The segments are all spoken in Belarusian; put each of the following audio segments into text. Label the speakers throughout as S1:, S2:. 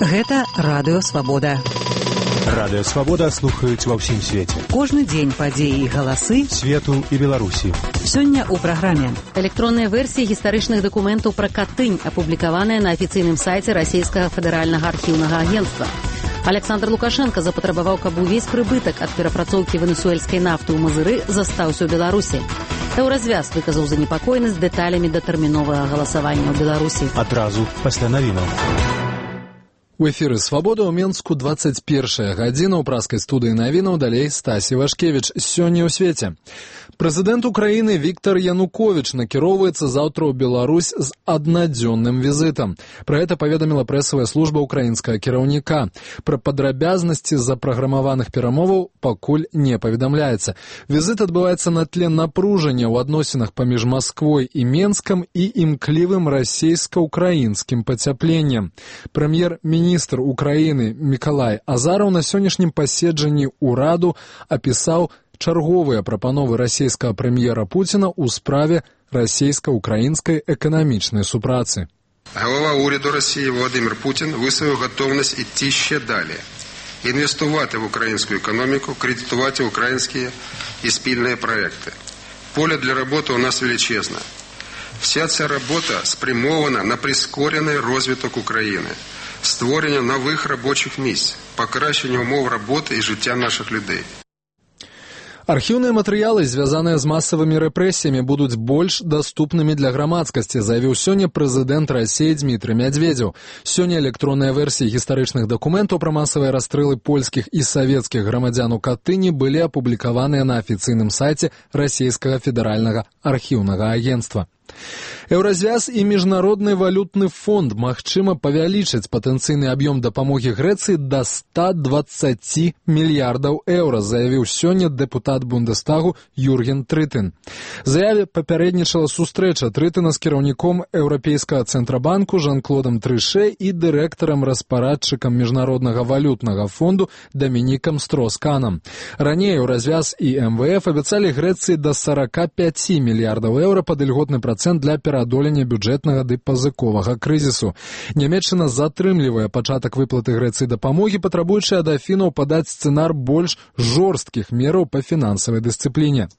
S1: Гэта Радыё Свабода.
S2: Радыё Свабода слухаюць ва ўсім свеце.
S1: Кожны дзень падзеі і галасы
S2: свету і Беларусі.
S1: Сёння ў праграме.
S3: Электронныя версіі гістарычных дакументаў пра Катынь, апублікаваныя на афіцыйным сайце Расійскага федэральнага архіўнага агенцтва. Александр Лукашенко запатрабаваў, каб увесь прыбытак ад перапрацоўкі венесуэльскай нафты ў Мазыры застаўся ў Беларусі. Еўразвяз выказаў занепакоенасць дэталямі датэрміновага галасавання ў Беларусі.
S2: Адразу пасля навінаў.
S4: У эфіры «Свабода» ў Менску 21 гадзіна. У праскай студыі навінаў далей Стасі Вашкевіч. Сёння ў свеце. Прэзідэнт Украіны Віктар Януковіч накіроўваецца заўтра ў Беларусь з аднадзённым візітам. Пра гэта паведаміла прэсавая служба ўкраінскага кіраўніка. Пра падрабязнасці запраграмаваных перамоваў пакуль не паведамляецца. Візіт адбываецца на тле напружання ў адносінах паміж Масквой і Менскам і імклівым расійска-украінскім пацяпленнем. Прэм'ер-міністр Украіны Мікалай Азараў на сённяшнім паседжанні ўраду апісаў чарговыя прапановы расійскага прэм'ера Пуціна ў справе расійска-украінскай економічної супраці.
S5: Голова уряду Росії Володимир Путін висловив готовність йти ще далі. Інвестувати в українську економіку, кредитувати українські і спільні проекти. Поле для роботи у нас величезне. Вся ця робота спрямована на прискорений розвиток України, створення нових робочих місць, покращення умов роботи і життя наших людей.
S4: Архіўныя матэрыялы, звязаныя з масавымі рэпрэсіямі, будуць больш даступнымі для грамадскасці, заявіў сёння прэзідэнт Расіі Дмітрый Мядзведзеў. Сёння электронныя версіі гістарычных дакументаў пра масавыя расстрэлы польскіх і савецкіх грамадзян у Катыні былі апублікаваныя на афіцыйным сайце Расійскага федэральнага архіўнага агенцтва. Еўразвяз і Міжнародны валютны фонд магчыма павялічыць патэнцыйны аб'ём дапамогі Грэцыі да 120 мільярдаў еўра, заявіў сёння дэпутат Бундестагу Юрген Трытын. Заяве папярэднічала сустрэча Трытына з кіраўніком Еўрапейскага цэнтрабанку Жан-Клодам Трыше і дырэктарам-распарадчыкам Міжнароднага валютнага фонду Дамінікам Стросканам. Раней Еўразвяз і МВФ абяцалі Грэцыі да 45 мільярдаў еўра пад ільготны процент для пераадолення бюджэтнага ды пазыковага крызісу. Нямецчына затрымлівае пачатак выплаты Грэцыі дапамогі, патрабуючы ад Афінаў падаць сцэнар больш жорсткіх мераў па фінансавай дысцыпліне.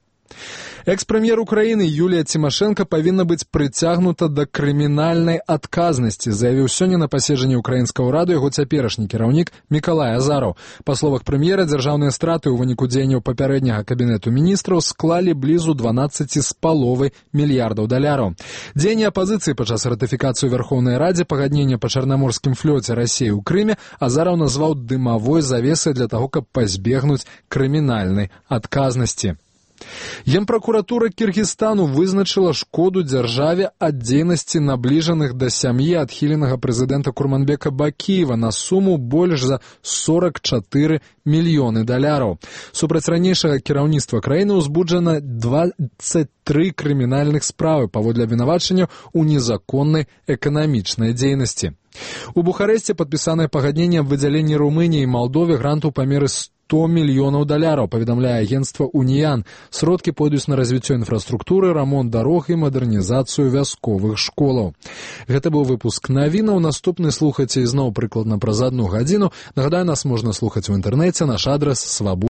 S4: Экс-прэм'ер Украіны Юлія Цімашэнка павінна быць прыцягнута да крымінальнай адказнасці, заявіў сёння на паседжанні ўкраінскага ўраду яго цяперашні кіраўнік Мікалай Азараў. Па словах прэм'ера, дзяржаўныя страты ў выніку дзеянняў папярэдняга кабінету міністраў склалі блізу 12,5 мільярдаў даляраў. Дзеянні апазіцыі падчас ратыфікацыі ў Вярхоўнай Радзе пагаднення па чарнаморскім флёце Расіі ў Крыме Азараў назваў дымавой завесай для таго, каб пазбегнуць крымінальнай адказнасці. Генпракуратура Кіргізстану вызначыла шкоду дзяржаве ад дзейнасці набліжаных да сям'і адхіленага прэзідэнта Курманбека Бакіева на суму больш за 44 мільёны даляраў. Супраць ранейшага кіраўніцтва краіны ўзбуджана 23 крымінальных справы паводле абвінавачання ў незаконнай эканамічнай дзейнасці. У Бухарэсце падпісанае пагадненне аб выдзяленні Румыніі і Малдове гранту памеры 100 мільёнаў даляраў, паведамляе агенцтва «Уніян». Сродкі пойдуць на развіццё інфраструктуры, рамонт дарог і мадэрнізацыю вясковых школаў. Гэта быў выпуск навінаў. Наступны слухайце ізноў прыкладна праз 1 гадзіну. Нагадаю, нас можна слухаць у інтэрнэце. Наш адрас свабода.